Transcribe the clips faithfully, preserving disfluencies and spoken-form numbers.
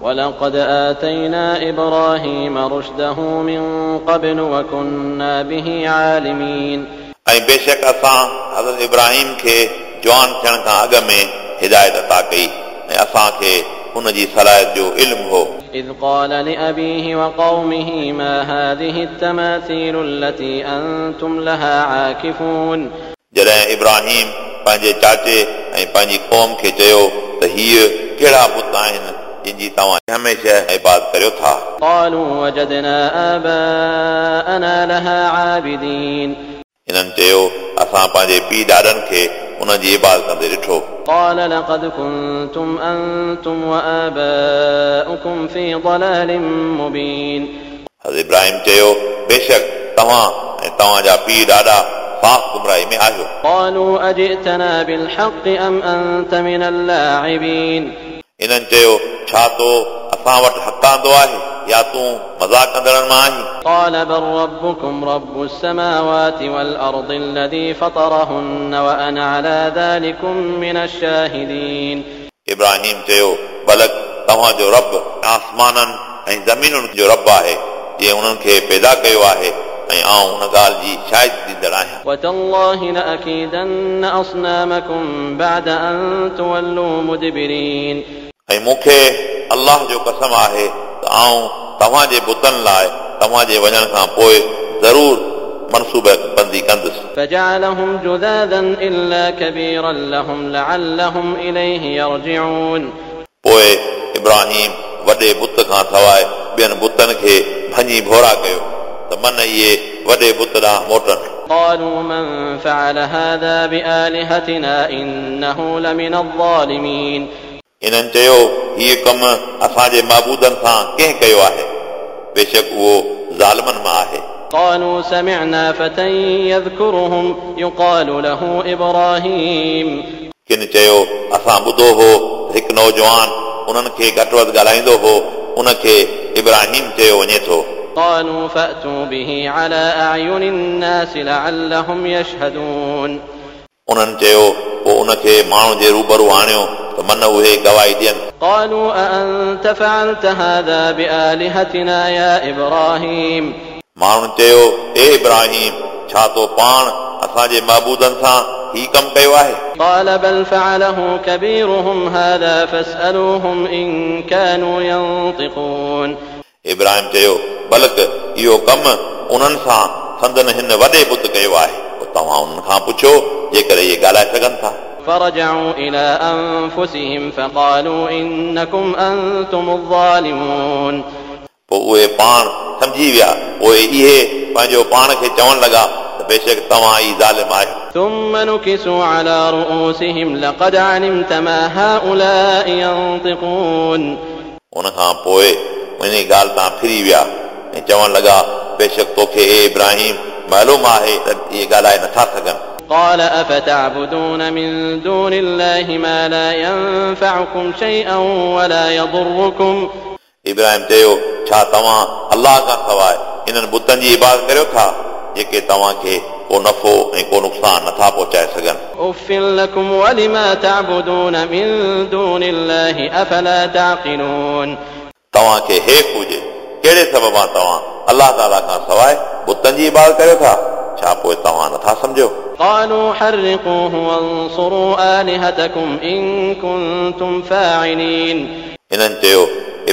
ولقد آتينا إبراهيم رشده من قبل وكنا به عالمين. ऐं बेशक असां हज़रत इब्राहिम खे जवान थियण खां अॻु में हिदायत अता कई ऐं असांखे उन जी सलाहियत जो इल्मु हो। إذ قال لأبيه وقومه ما هذه التماثيل التي أنتم لها عاكفون. जॾहिं इब्राहिम पंहिंजे चाचे ऐं पंहिंजी क़ौम खे चयो त हीअ कहिड़ा बुत आहिनि जिन जी तव्हां हमेशह इबादत करियो था। قالوا وجدنا آباءنا لها عابدين. इन्हनि चयो असां पंहिंजे पीउ ॾाॾनि खे उन जी इबादत कंदे ॾिठो। قال لقد كنتم أنتم وآباؤكم في ضلال مبين. हज़रत इब्राहिम चयो बेशक तव्हां ऐं तव्हांजा पीउ ॾाॾा साफ़ गुमराही में आहियो। قالوا أجئتنا بالحق أم أنت من اللاعبين. इन्हनि चयो छा तो असां वटि हक़ आंदो आहे या तूं मज़ाक कंदड़नि मां आहीं? قال بل ربكم رب السماوات والأرض الذي فطرهن وأنا على ذلكم من الشاهدين. इब्राहिम चयो बलक तव्हांजो रब आसमाननि ऐं ज़मीनुनि जो रब आहे जंहिं उन्हनि खे पैदा कयो आहे ऐं आउं उन ॻाल्हि जी शाहिद ॾींदड़ आहियां। وتالله لأكيدن أصنامكم بعد أن تولوا مدبرين. ऐं मूंखे अल्लाह जो कसम आहे त आउं तव्हांजे बुतनि लाइ तव्हांजे वञण खां पोइ ज़रूर मनसूबे बंदी कंदुसि। فجعلهم جذاذا إلا كبيرا لهم لعلهم إليه يرجعون. पोइ इब्राहिम वॾे बुत खां सवाइ ॿियनि बुतनि खे भञी भोरा कयो त मन इहे वॾे बुत ॾांहुं मोटनि। قالوا من فعل هذا بآلهتنا إنه لمن الظالمين. इन्हनि चयो हीउ कमु असांजे महबूदनि सां कंहिं कयो आहे? बेशक उहो ज़ालिमनि मां आहे। قالوا سمعنا فتى يذكرهم يقال له إبراهيم. किन चयो असां ॿुधो हो हिकु नौजवान उन्हनि खे घटि वधि ॻाल्हाईंदो हो, उनखे इब्राहिम चयो वञे थो। قالوا فأتوا به على أعين الناس لعلهم يشهدون. उन्हनि चयो पोइ उनखे माण्हुनि जे रूबरू आणियो त मन उहे गवाही ॾियनि। قالوا أأنت فعلت هذا بآلهتنا يا إبراهيم؟ माण्हुनि चयो ए इब्राहिम छा तो पाण असांजे महबूदनि सां ही कमु कयो आहे? قال بل فعله كبيرهم هذا فاسألوهم إن كانوا ينطقون. इब्राहिम चयो बल्कि इहो कमु उन्हनि सां संदन हिन वॾे बुत कयो आहे, पोइ तव्हां उन्हनि खां पुछो जेकॾहिं इहे ॻाल्हाए सघनि था। فرجعوا إلى أنفسهم فقالوا إنكم أنتم الظالمون. पोइ उहे पाण सम्झी विया, पोइ इहे पंहिंजो पाण खे चवणु लॻा त बेशक तव्हां ई ज़ालिम आहियो। ثم نكسوا على رؤوسهم لقد علمت ما هؤلاء ينطقون. उन खां पोइ इन ॻाल्हि तां फिरी विया ऐं चवणु लॻा बेशक तोखे ए इब्राहिम मालूम आहे त इहे ॻाल्हाए नथा सघनि। قال أفتعبدون من دون الله ما لا ينفعكم شيئا ولا يضركم. इब्राहिम चयो छा तव्हां अल्लाह खां सवाइ इन्हनि बुतनि जी इबादत करियो था जेके तव्हांखे को नफ़ो ऐं को नुक़सानु नथा पहुचाए सघनि? أف لكم ولما تعبدون من دون الله أفلا تعقلون. तव्हांखे हेफ़ हुजे कहिड़े सबब तव्हां अल्लाह ताला खां सवाइ बुतनि जी इबादत करियो था? छा पोइ तव्हां नथा सम्झो? قالوا حرقوه وانصروا آلهتكم إن كنتم فاعلين. इन्हनि चयो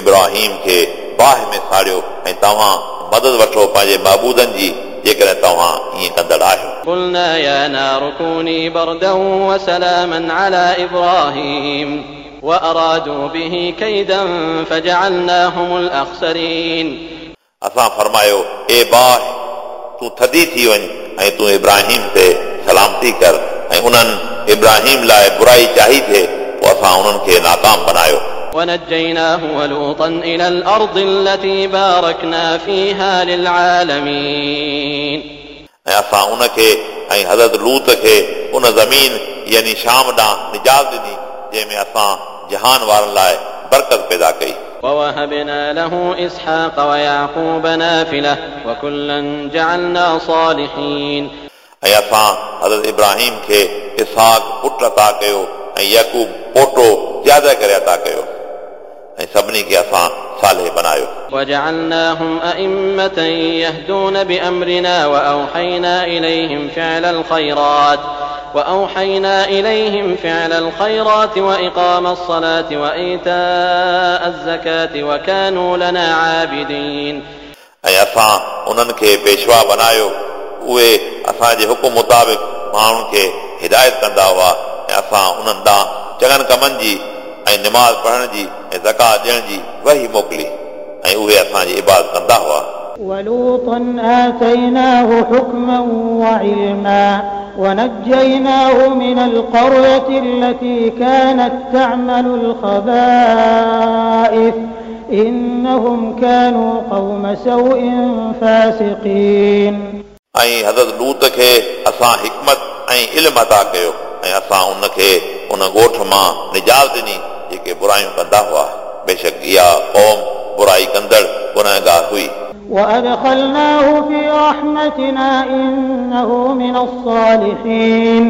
इब्राहिम खे बाहि में साड़ियो ऐं तव्हां मदद वठो पंहिंजे महबूदनि जी जेकॾहिं तव्हां ईअं कंदड़ आहियो। قلنا يا نار كوني بردا وسلاما على إبراهيم وأرادوا به كيدا فجعلناهم الأخسرين. असां फरमायो ए बाहि तूं थधी थी वञ ऐं तूं इब्राहिम ते सलामती कर ऐं उन्हनि इब्राहिम लाइ बुराई चाही थिए पोइ असां उन्हनि खे नाकाम बनायो। ونجيناه ولوطا إلى الأرض التي باركنا فيها للعالمين. ऐं असां उनखे ऐं हज़रत लूत खे उन ज़मीन यानी शाम ॾांहुं निजात ॾिनी जंहिंमें असां जहान वारनि लाइ बरकत पैदा कई। ووهبنا له إسحاق ويعقوب نافلة وكلا جعلنا صالحين. ऐं असां हज़रत इब्राहिम खे इसहाक पुट अता कयो ऐं याकूब पोटो ज़्यादा करे अता कयो ऐं सभिनी खे असां सालेह बनायो। وجعلناهم أئمة يهدون بأمرنا وأوحينا إليهم فعل الخيرات وأوحينا إليهم فعل الخيرات وإقام الصلاة وإيتاء الزكاة وكانوا لنا عابدين। ऐं असां उन्हनि खे पेशवा बनायो, उहे असांजे हुकुम मुताबिक़ माण्हुनि खे हिदायत कंदा हुआ ऐं असां उन्हनि ॾांहुं चङनि कमनि जी ऐं निमाज़ पढ़ण जी ऐं ज़कात ॾियण जी वही मोकिली ऐं उहे असांजी इबादत कंदा हुआ। ولوطا آتيناه حكما وعلما ونجيناه من القرية التي كانت تعمل الخبائث إنهم كانوا قوم سوء فاسقين। ऐं हज़रत लूत खे असां हिकमत ऐं इल्म अता कयो ऐं असां उनखे उन ॻोठ मां निजात ॾिनी जेके बुरायूं कंदा हुआ। बेशक इहा क़ौम बुराई कंदड़ गुनहगार हुई। وأدخلناه في رحمتنا إنه من الصالحين।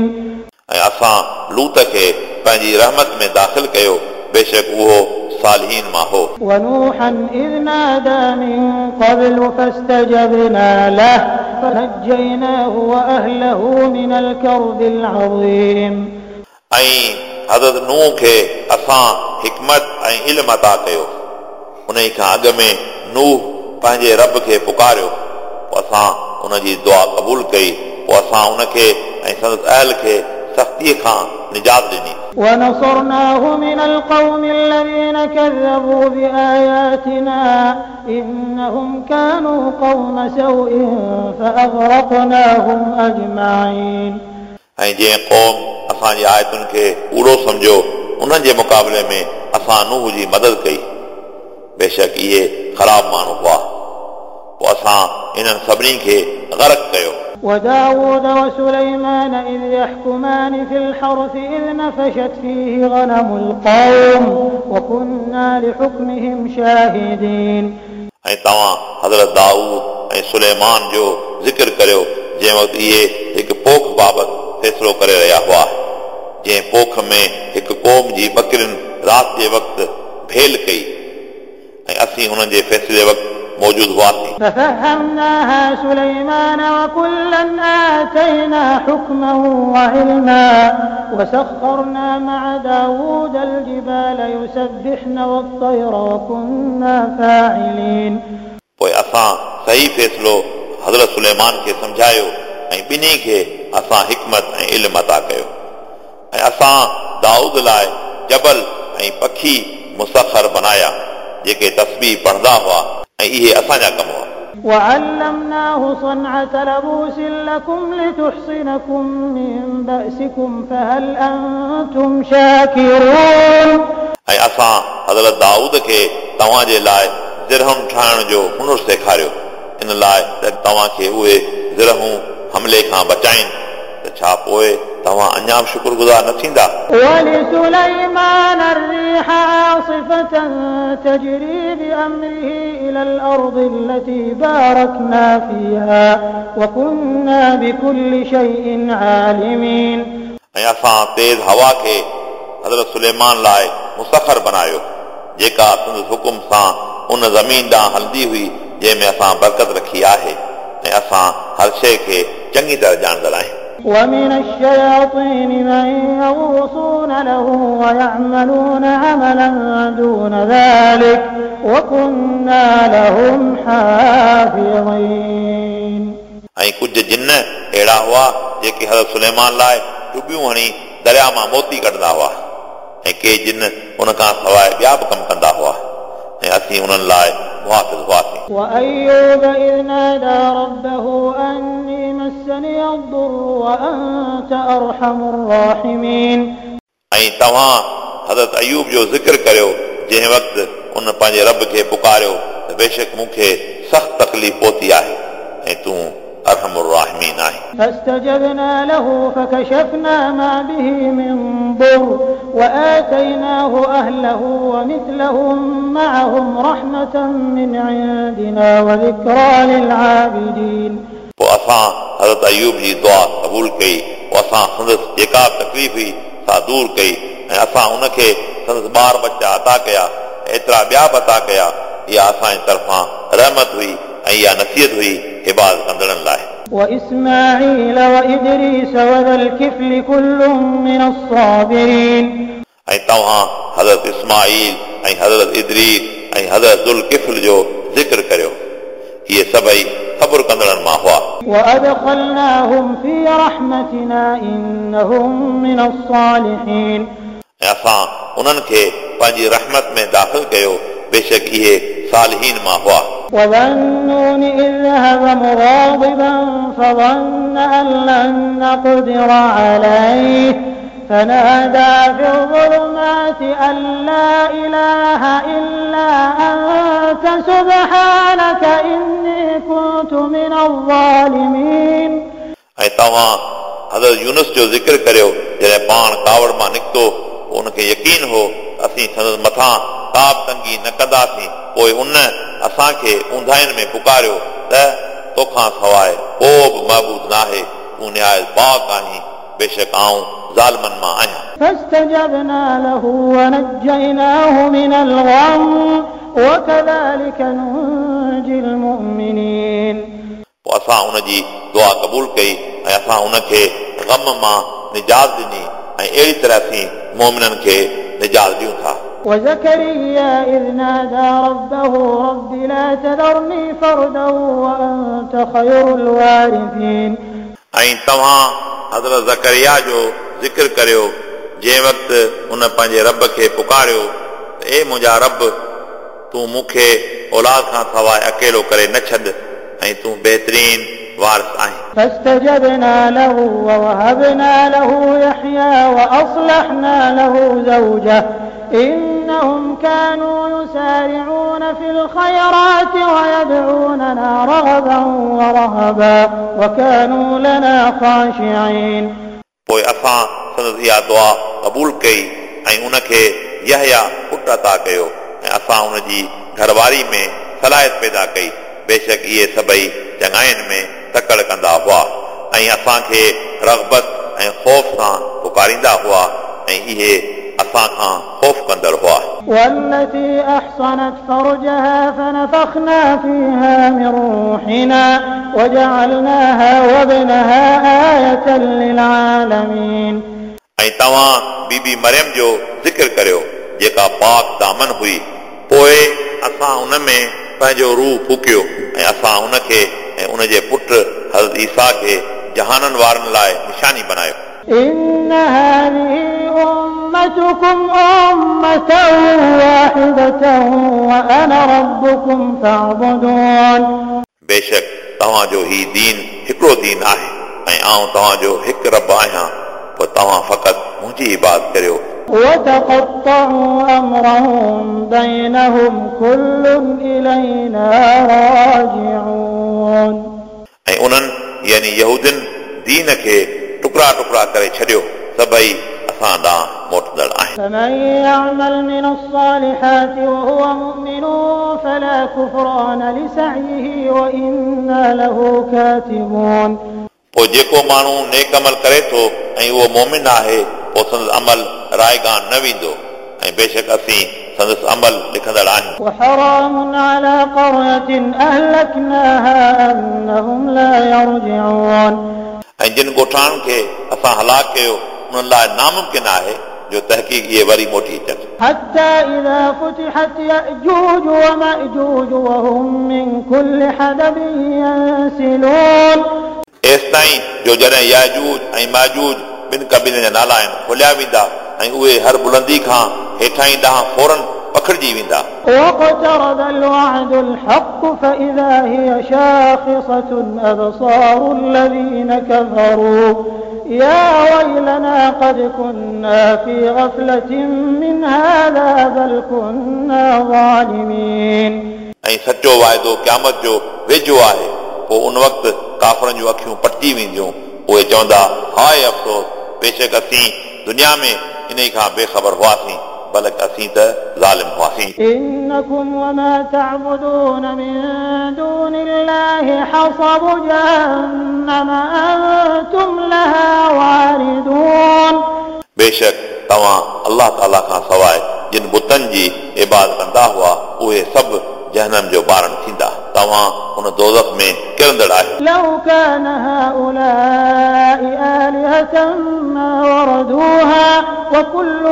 ऐं असां लूत खे पंहिंजी रहमत में दाख़िल कयो, बेशक उहो सालिहीन मां हो। ونوحا إذ نادى من قبل فاستجبنا له فنجيناه وأهله من الكرب العظيم। ऐं हज़रत नूह खे असां हिकमत ऐं इल्म अता कयो। उन खां अॻु में नूह पंहिंजे रब खे पुकारियो, पोइ असां उनजी दुआ क़बूल कई, पोइ असां उनखे ऐं संदसि अहल खे सख़्तीअ खां निजात ॾिनी। ونصرناه من القوم الذين كذبوا بآياتنا إنهم كانوا قوم سوء فأغرقناهم أجمعين। ऐं जंहिं क़ौम असांजी आयतुनि खे कूड़ो सम्झो उन्हनि जे मुक़ाबले में असां नूह जी मदद कई। बेशक इहे ख़राब माण्हू हुआ, पोइ असां इन्हनि सभिनी खे गर्क कयो। وداود وسليمان إذ يحكمان في الحرث إذ نفشت فيه غنم القوم وكنا لحكمهم شاهدين। ऐं तव्हां हज़रत दाऊद ऐं सुलेमान जो ज़िक्र करियो जंहिं वक़्तु इहे हिकु पोख बाबति फ़ैसिलो करे रहिया हुआ, जंहिं पोख में हिकु क़ौम जी बकरियुनि राति जे वक़्तु भेल कई ऐं असीं हुननि जे फ़ैसिले वक़्तु मौजूद हुआसीं। ففهمناها سليمان وكلا آتينا حكما وعلما وسخرنا مع داود الجبال يسبحن والطير وكنا فاعلين। पोइ असां सही फ़ैसिलो हज़रत सुलेमान खे सम्झायो ऐं ॿिन्ही खे असां हिकमत ऐं इल्म अता कयो ऐं असां दाऊद लाइ जबल ऐं पखी मुसखर बनाया जेके तस्बीह पढ़ंदा हुआ ऐं इहे असांजा कम हुआ। وعلمناه صنعة لبوس لكم لتحصنكم من بأسكم فهل أنتم شاكرون। ऐं असां हज़रत दाऊद खे तव्हांजे लाइ ज़िरहुनि ठाहिण जो हुनर सेखारियो, इन लाइ त तव्हांखे उहे ज़िरहूं हमले खां बचाइनि, त छा पोइ तव्हां अञा बि शुक्रगुज़ार न थींदा? ولسليمان الريح عاصفة تجري بأمره إلى الأرض التي باركنا فيها وكنا بكل شيء عالمين। ऐं असां तेज़ हवा खे हज़रत सुलेमान लाइ मुसखर बनायो, जेका संदसि हुकुम सां उन ज़मीन ॾांहुं हलंदी हुई जंहिंमें असां बरकत रखी आहे, ऐं असां हर शइ खे चङी तरह ॼाणंदड़ आहियूं। ومن الشياطين من يغوصون له ويعملون عملا دون ذلك وكنا لهم حافظين। ऐं कुझु जिन अहिड़ा हुआ जेके हज़रत सुलेमान लाइ डुबियूं हणी दरिया मां मोती कढंदा हुआ, ऐं के जिन उन खां सवाइ ॿिया बि कम कंदा हुआ, ऐं असीं उन्हनि लाइ मुहाफ़िज़ हुआसीं। وأيوب إذ نادى ربه أني مسني الضر وأنت أرحم الراحمين। ऐं तव्हां हज़रत अयूब जो ज़िक्र करियो जंहिं वक़्तु उन पंहिंजे रब खे पुकारियो त बेशक मूंखे सख़्त तकलीफ़ पहुती आहे ऐं तूं अरहम उर-राहिमीन आहीं। فاستجبنا له فكشفنا ما به من ضر وآتيناه أهله ومثلهم معهم رحمة من عندنا وذكرى للعابدين। पोइ असां हज़रत अयूब जी दुआ क़बूल कई, पोइ असां संदसि जेका तकलीफ़ हुई सा दूर कई, ऐं असां उनखे संदसि ॿार बच्चा अता कया एतिरा ॿिया बि अता कया। इहा असांजे तरफ़ां रहमत हुई ऐं इहा नसीहत हुई हिबाज़ कंदड़नि लाइ। وإسماعيل وإدريس وذا الكفل كل من الصابرين ऐं तव्हां हज़रत इस्माईल ऐं हज़रत इदरीस ऐं हज़रत ज़ुल्किफ़्ल जो ज़िक्र करियो, इहे सभई सब्र कंदड़नि मां हुआ। وأدخلناهم في رحمتنا إنهم من الصالحين ऐं असां उन्हनि खे पंहिंजी रहमत में दाख़िल कयो, बेशक इहे सालिहीन मां हुआ। وذا النون إذ ذهب مغاضبا فظن أن لن نقدر عليه فنادى في الظلمات أن لا إله إلا أنت سبحانك إني كنت من الظالمين ऐं तव्हां हज़रत यूनुस जो ज़िक्र करियो, जॾहिं पाण कावड़ मां निकितो, पोइ उनखे यकीन हो असीं संदसि मथां का बि तंगी न कंदासीं, पोइ उन असांखे ऊंधाइनि में पुकारियो त तोखां सवाइ को बि महबूद नाहे, तूं निहायत पाक आहीं, बेशक आऊं ज़ालिमनि मां आहियां। فاستجبنا له ونجيناه من الغم وكذلك ننجي المؤمنين पोइ असां उनजी दुआ क़बूल कई ऐं असां उनखे ग़म मां निजात ॾिनी ऐं अहिड़ी तरह असीं मोमिननि खे निजात ॾियूं था। وزكريا إذ نادى ربه رب لا تذرني فردا وأنت خير الوارثين ऐं तव्हां हज़रत ज़करिया जो ज़िक्र करियो, जंहिं वक़्तु उन पंहिंजे रब खे पुकारियो त ए मुंहिंजा रब, तूं मूंखे औलाद खां सवाइ अकेलो करे न छॾ ऐं तूं बहितरीन वारिस आहीं। فاستجبنا له ووهبنا له يحيى وأصلحنا له زوجه إنهم كانوا يسارعون في الخيرات ويدعوننا رغبا ورهبا وكانوا لنا خاشعين पोइ असां संदसि इहा दुआ क़बूल कई ऐं उनखे यहया पुट अता कयो ऐं असां उनजी घरवारी में सलाहियत पैदा कई, बेशक इहे सभई चङाइनि में तकड़ कंदा हुआ ऐं असांखे रग़बत ऐं ख़ौफ़ सां पुकारींदा हुआ ऐं इहे असां खां ख़ौफ़ कंदड़ हुआ। والتي أحصنت فرجها فنفخنا فيها من روحنا وجعلناها وابنها آية للعالمين ऐं तव्हां बीबी मरियम जो ज़िक्र करियो, जेका पाक दामन हुई, पोइ असां उन में पंहिंजो रूह फूकियो ऐं असां उनखे ऐं उनजे पुट हज़रत ईसा खे जहाननि वारनि लाइ निशानी बनायो। إن هذه أمتكم أمة واحدة وأنا ربكم فاعبدون बेशक तव्हांजो ही दीन हिकिड़ो दीन आहे ऐं आऊं तव्हांजो हिकु रब आहियां, पोइ तव्हां फ़क़ति मुंहिंजी इबादत करियो। وتقطعوا أمرهم بينهم كل إلينا راجعون ऐं उन्हनि यानी यहूदिन दीन खे टुकड़ा टुकड़ा करे छॾियो, सभई असां ॾांहुं मोटंदड़ आहिनि। فمن يعمل من الصالحات وهو مؤمن فلا كفران لسعيه وإنا له كاتبون पोइ जेको माण्हू नेक अमल करे थो ऐं उहो मोमिन आहे, पोइ संदसि अमल रायगान न वेंदो ऐं बेशक असीं संदसि अमल लिखंदड़ आहियूं। وحرام على قرية أهلكناها أنهم لا يرجعون ऐं जिन ॻोठाणनि खे असां हलाक कयो उन्हनि लाइ नामुमकिन आहे जो तहक़ीक़ इहे वरी मोटी अचनि। حتى إذا فتحت يأجوج ومأجوج وهم من كل حدب ينسلون एसि ताईं जो जॾहिं याजूज ऐं माजूज ॿिनि क़बीलनि जा नाला आहिनि खोलिया वेंदा ऐं उहे हर बुलंदी खां हेठां ई ॾांहुं फ़ौरन पखड़िजी वेंदा। واقترب الوعد الحق فإذا هي شاخصة أبصار الذين كفروا يا ويلنا قد كنا في غفلة من هذا بل كنا ظالمين ऐं सचो वाइदो क़यामत जो वेझो आहे, पोइ उन वक़्तु काफ़रनि जूं अखियूं पटिजी वेंदियूं, उहे चवंदा हाय अफ़सोस, बेशक असीं दुनिया में इन खां बेख़बर हुआसीं, बल्कि असीं त ज़ालिम हुआसीं। إنكم وما تعبدون من دون الله حصب جهنم أنتم لها واردون बेशक तव्हां अल्लाह ताला खां सवाइ जिन बुतनि जी इबादत कंदा हुआ उहे सभु जहनम जो बारण थींदा। तव्हां उन दोज़ख में किरंदड़ आहियो। لو كان هؤلاء آلهة ما وردوها وكل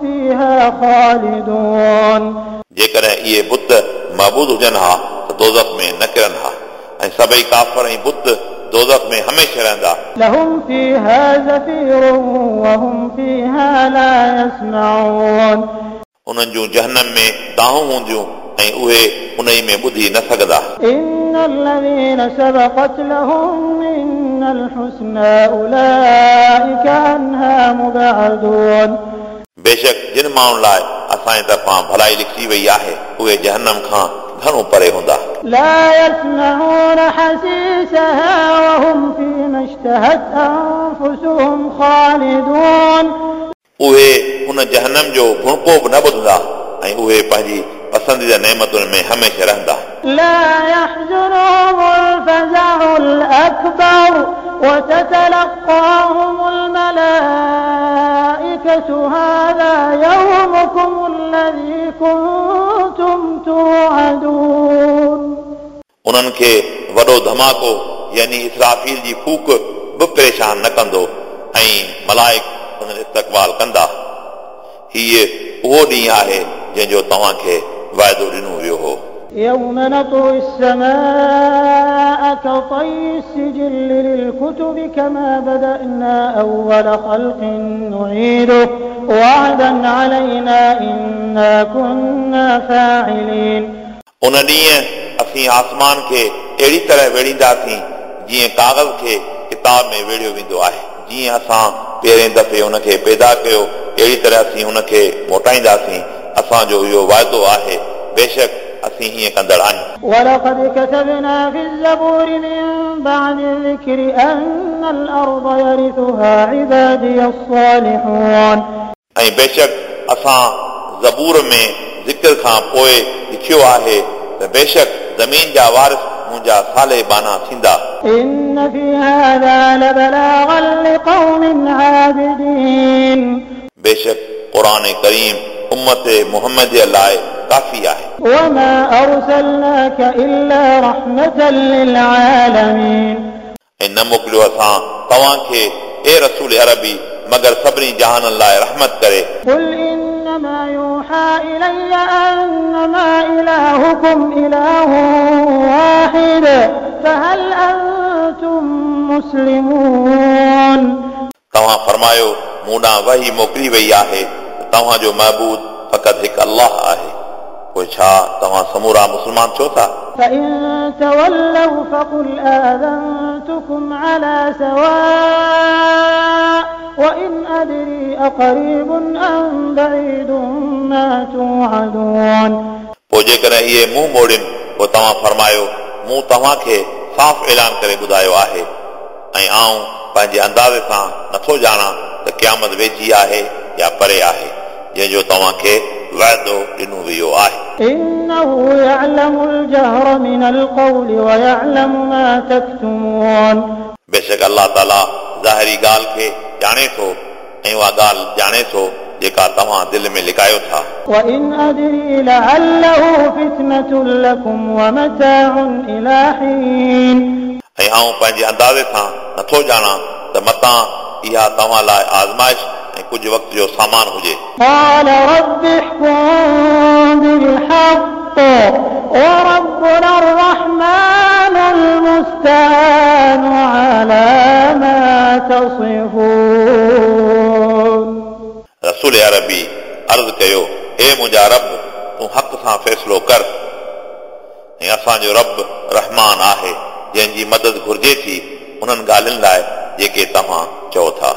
فيها خالدون। जेकॾहिं इहे बुत महबूद हुजनि हा त दोज़ख में न किरनि हा ऐं सभई काफ़र ऐं बुत दोज़ख में हमेशह रहंदा। لهم فيها زفير وهم فيها لا يسمعون। उन्हनि जूं जहनम में दाहूं हूंदियूं ऐं उहे उन में ॿुधी न सघंदा। إن الذين سبقت لهم منا الحسنى أولئك عنها مبعدون। बेशक जिन माण्हुनि लाइ असांजे तरफ़ां भलाई लिखी वई आहे उहे जहनम खां घणो परे हूंदा। لا يسمعون حسيسها وهم فيما اشتهت أنفسهم خالدون। उहे उन जहनम जो भुणको बि न ॿुधंदा ऐं उहे पंहिंजी पसंदीदा नेमतुनि में हमेशह रहंदा। لا يحزنهم الفزع الأكبر وتتلقاهم الملائكة هذا يومكم الذي كنتم توعدون। उन्हनि खे वॾो धमाको यानी इसराफ़ील जी फूक बि परेशान न कंदो ऐं मलाइक उन्हनि इस्तक़बाल कंदा। हीअ उहो ॾींहुं आहे जंहिंजो तव्हांखे वाइदो ॾिनो वियो हो। يوم نطوي السماء كطي السجل للكتب كما بدأنا أول خلق نعيده وعدا علينا إنا كنا فاعلين। उन ॾींहुं असीं आसमान खे अहिड़ी तरह वेड़ींदासीं जीअं कागज़ खे किताब में वेड़ियो वेंदो आहे। जीअं असां पहिरें दफ़े उनखे पैदा कयो अहिड़ी तरह असीं उनखे मोटाईंदासीं। असांजो इहो वाइदो आहे, बेशक असीं ईअं कंदड़ आहियूं। ولقد كتبنا في الزبور من بعد الذكر أن الأرض يرثها عبادي الصالحون। ऐं बेशक असां ज़बूर में ज़िक्र खां पोइ लिखियो आहे त बेशक ज़मीन जा वारिस मुंहिंजा साले बाना थींदा। إن في هذا لبلاغا لقوم عابدين। बेशक क़ुर करीम उम्मत मोहम्मद जे लाइ काफ़ी आहे। وما أرسلناك إلا رحمة للعالمين। ऐं न मोकिलियो असां तव्हांखे ए रसूल अरबी मगर सभिनी जहाननि लाइ रहमत करे। قل إنما يوحى إلي أنما إلهكم إله واحد فهل أنتم مسلمون। तव्हां फरमायो मूं ॾांहुं वही मोकिली वई आहे त तव्हांजो महबूद फ़क़ति हिकु अल्लाह आहे, पोइ छा तव्हां समूरा मुस्लमान थियो था? فإن تولوا فقل آذنتكم على سواء وإن أدري أقريب أم بعيد ما توعدون। पोइ जेकॾहिं इहे मुंहुं मोड़नि पोइ तव्हां फरमायो मूं तव्हांखे साफ़ ऐलान करे ॿुधायो आहे ऐं आउं पंहिंजे अंदाज़े सां नथो ॼाणां त क़यामत वेझी आहे या परे आहे जंहिंजो तव्हांखे वाइदो ॾिनो वियो आहे। إنه يعلم الجهر من القول ويعلم ما تكتمون। बेशक अल्लाह ताला ज़ाहिरी ॻाल्हि खे ॼाणे थो ऐं उहा ॻाल्हि ॼाणे थो जेका तव्हां दिलि में लिकायो था। وإن أدري لعله فتنة لكم ومتاع إلى حين। ऐं आउं पंहिंजे अंदाज़े सां नथो ॼाणां त मतां इहा तव्हां लाइ आज़माइश ऐं कुझु वक़्त जो सामान हुजे। قال رب احكم بالحق وربنا الرحمن المستعان على ما تصفون। रसूल अरबी अर्ज़ कयो, हे मुंहिंजा रब, तूं हक़ सां फ़ैसिलो कर ऐं असांजो रब रहमान आहे जंहिंजी मदद घुर्जे थी उन्हनि ॻाल्हियुनि लाइ जेके तव्हां चओ था।